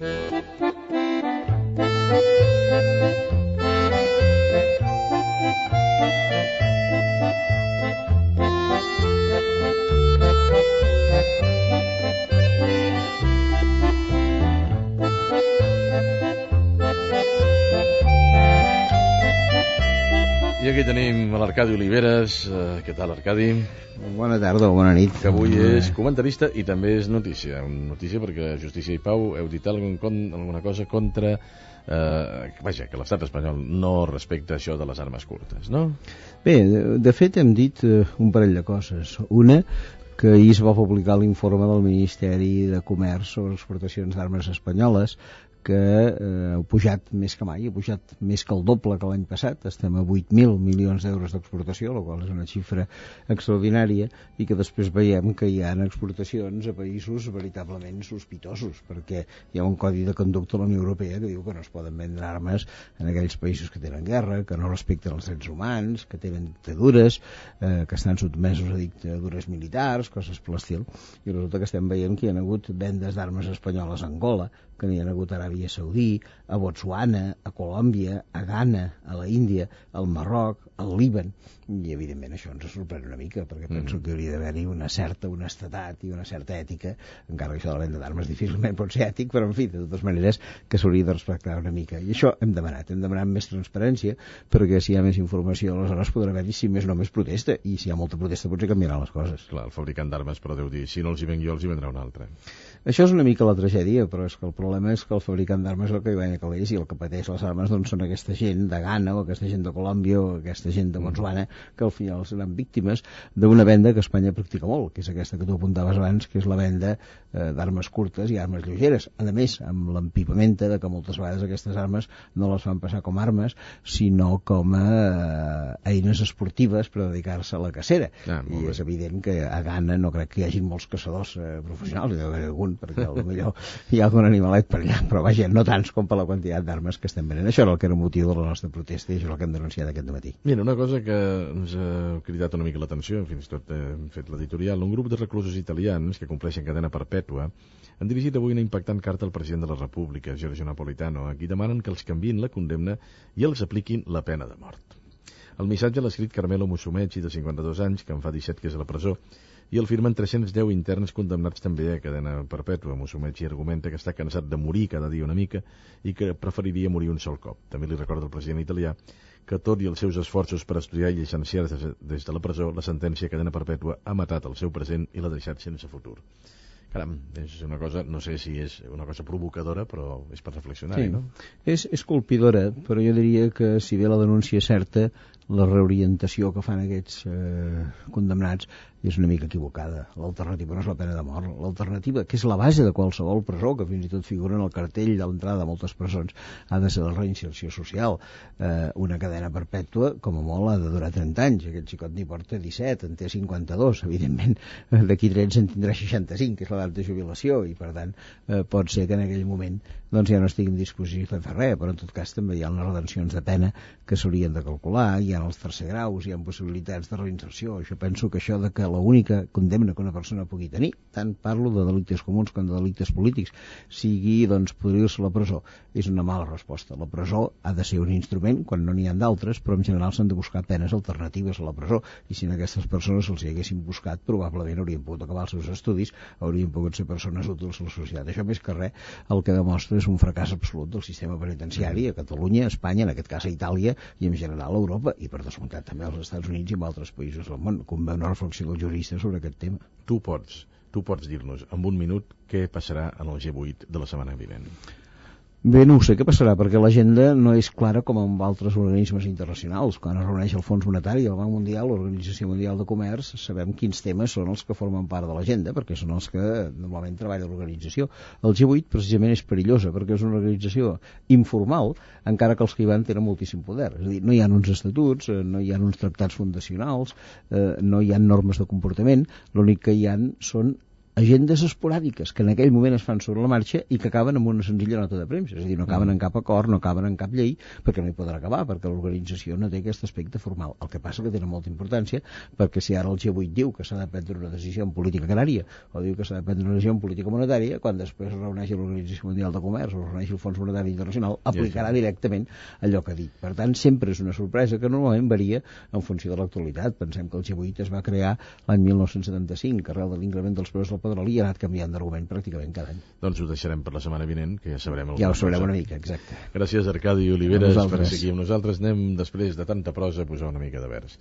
I aquí tenim l'Arcadi Oliveres. Què tal, Arcadi? Bona tarda o bona nit. Que avui és comentarista i també és notícia. Notícia perquè Justícia i Pau heu dit alguna cosa contra... vaja, que l'estat espanyol no respecta això de les armes curtes, no? Bé, de fet hem dit un parell de coses. Una, que ahir es va publicar l'informe del Ministeri de Comerç sobre exportacions d'armes espanyoles, que ha pujat més que mai, ha pujat més que el doble que l'any passat. Estem a 8.000 milions d'euros d'exportació, la qual és una xifra extraordinària, i que després veiem que hi ha exportacions a països veritablement sospitosos, perquè hi ha un codi de conducta a la Unió Europea que diu que no es poden vendre armes en aquells països que tenen guerra, que no respecten els drets humans, que tenen dictadures, que estan sotmesos a dictadures militars, coses per l'estil. I resulta que estem veient que hi ha hagut vendes d'armes espanyoles a Angola, que n'hi ha hagut a Aràbia Saudí, a Botswana, a Colòmbia, a Ghana, a la Índia, al Marroc, al Líban, i evidentment això ens sorprèn una mica, perquè penso que hauria d'haver-hi una certa honestedat i una certa ètica, encara que això de la venda d'armes difícilment pot ser ètic, però en fi, de totes maneres que s'hauria de respectar una mica, i això hem demanat més transparència, perquè si hi ha més informació aleshores podrà haver-hi, si més no, més protesta, i si hi ha molta protesta potser canviaran les coses. Clar, el fabricant d'armes però deu dir, si no els hi venc jo els hi vendrà un altre. Això és una mica la tragèdia, però és que el problema és que el fabricant d'armes és el que hi guanya calés, i el que pateix les armes doncs són aquesta gent de Ghana o aquesta gent de Colòmbia o aquesta gent de Botswana, que al final seran víctimes d'una venda que Espanya practica molt, que és aquesta que tu apuntaves abans, que és la venda d'armes curtes i armes lleugeres. A més, amb l'empipamenta de que moltes vegades aquestes armes no les fan passar com armes, sinó com a eines esportives per dedicar-se a la cacera. I és evident que a Ghana no crec que hi hagi molts caçadors professionals, hi deu haver algun, perquè potser hi ha algun animalet per allà, però vaja, no tants com per la quantitat d'armes que estem venent. Això era el que era el motiu de la nostra protesta i això és el que hem denunciat aquest matí. Mira, una cosa que ens ha cridat una mica l'atenció, fins i tot hem fet l'editorial, un grup de reclusos italians que compleixen cadena perpètua han dirigit avui una impactant carta al president de la República, Giorgio Napolitano, a qui demanen que els canviïn la condemna i els apliquin la pena de mort. El missatge l'ha escrit Carmelo Musumeci, de 52 anys, que en fa 17 que és a la presó, i el firmen 310 interns condemnats també a cadena perpètua. Musumeci argumenta que està cansat de morir cada dia una mica i que preferiria morir un sol cop. També li recorda el president italià que tot i els seus esforços per estudiar i llicenciar-se des de la presó, la sentència a cadena perpètua ha matat el seu present i l'ha deixat sense futur. Caram, és una cosa, no sé si és una cosa provocadora, però és per reflexionar-hi, no? És colpidora, però jo diria que si bé la denúncia és certa, la reorientació que fan aquests condemnats és una mica equivocada. L'alternativa no és la pena de mort. L'alternativa, que és la base de qualsevol presó, que fins i tot figura en el cartell de l'entrada de moltes presons, ha de ser la reinserció social. Una cadena perpètua, com a molt, ha de durar 30 anys. Aquest xicot n'hi porta 17, en té 52. Evidentment, d'aquí 13 en tindrà 65, que és l'edat de jubilació, i per tant pot ser que en aquell moment doncs ja no estigui en disposició de fer res, però en tot cas també hi ha unes redencions de pena que s'haurien de calcular, hi ha els tercer graus, hi ha possibilitats de reinserció. Jo penso que això de que l'única condemna que una persona pugui tenir, tant parlo de delictes comuns com de delictes polítics, sigui doncs podrir-se a la presó, és una mala resposta. La presó ha de ser un instrument quan no n'hi ha d'altres, però en general s'han de buscar penes alternatives a la presó, i si a aquestes persones se'ls hi haguessin buscat, probablement haurien pogut acabar els seus estudis, haurien pogut ser persones útils a la societat. Això més que res el que demostra és un fracàs absolut del sistema penitenciari a Catalunya, a Espanya, en aquest cas a Itàlia i en general a Europa, i per descomptat també als Estats Units i en altres països del món. Convé una reflexió dels juristes sobre aquest tema. Tu pots dir-nos en un minut què passarà en el G8 de la setmana vinent. Bé, no ho sé què passarà, perquè l'agenda no és clara com amb altres organismes internacionals. Quan es reuneix el Fons Monetari, el Banc Mundial, l'Organització Mundial de Comerç, sabem quins temes són els que formen part de l'agenda, perquè són els que normalment treballa l'organització. El G8 precisament és perillosa, perquè és una organització informal, encara que els que hi van tenen moltíssim poder. És a dir, no hi ha uns estatuts, no hi ha uns tractats fundacionals, no hi ha normes de comportament, l'únic que hi ha són agendes esporàdiques que en aquell moment es fan sobre la marxa i que acaben amb una senzilla nota de premsa, és a dir, no acaben en cap acord, no acaben en cap llei, perquè no hi podrà acabar, perquè l'organització no té aquest aspecte formal. El que passa que tenen molta importància, perquè si ara el G8 diu que s'ha de prendre una decisió en política agrària o diu que s'ha de prendre una decisió en política monetària, quan després es reuneixi l'Organització Mundial de Comerç o es reuneixi el Fons Monetari Internacional, aplicarà directament allò que ha dit. Per tant, sempre és una sorpresa que normalment varia en funció de l'actualitat. Pensem que el G8 es va crear l'any 1975, que arrel de l'increment dels preus del petroli ha anat canviant d'argument pràcticament cada any. Doncs ho deixarem per la setmana vinent, que ja sabrem alguna cosa. Ja ho sabrem una mica, exacte. Gràcies, Arcadi Oliveres, per seguir amb nosaltres. Anem, després de tanta prosa, a posar una mica de vers.